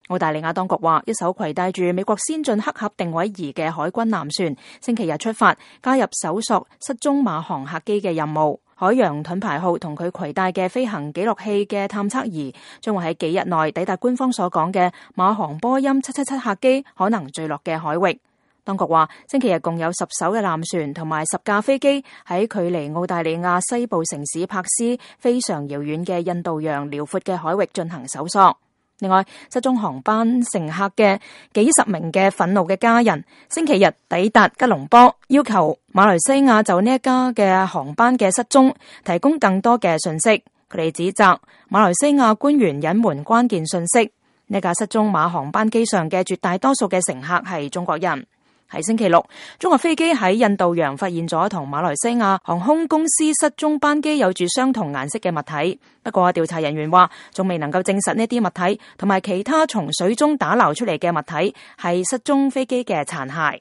澳大利亞當局話，一艘攜帶住美國先進黑盒定位儀嘅海軍艦船星期日出發，加入搜索失蹤馬航客機嘅任務。海洋盾牌號同佢攜帶嘅飛行記錄器嘅探測儀將會喺幾日內抵達官方所講嘅馬航波音777客機可能墜落嘅海域。當局話，星期日共有10艘嘅艦船同埋10架飛機喺距離澳大利亞西部城市珀斯非常遙遠嘅印度洋遼闊嘅海域進行搜索。另外，失蹤航班乘客嘅幾十名嘅憤怒嘅家人，星期日抵達吉隆坡，要求馬來西亞就呢一家嘅航班嘅失蹤提供更多嘅信息。佢哋指責馬來西亞官員隱瞞關鍵信息。呢架失蹤馬航班機上嘅絕大多數嘅乘客係中國人。喺星期六，中國飛機喺印度洋發現咗同馬來西亞航空公司失蹤班機有住相同顏色嘅物體。不過調查人員話，仲未能夠證實呢啲物體同埋其他從水中打撈出嚟嘅物體係失蹤飛機嘅殘骸。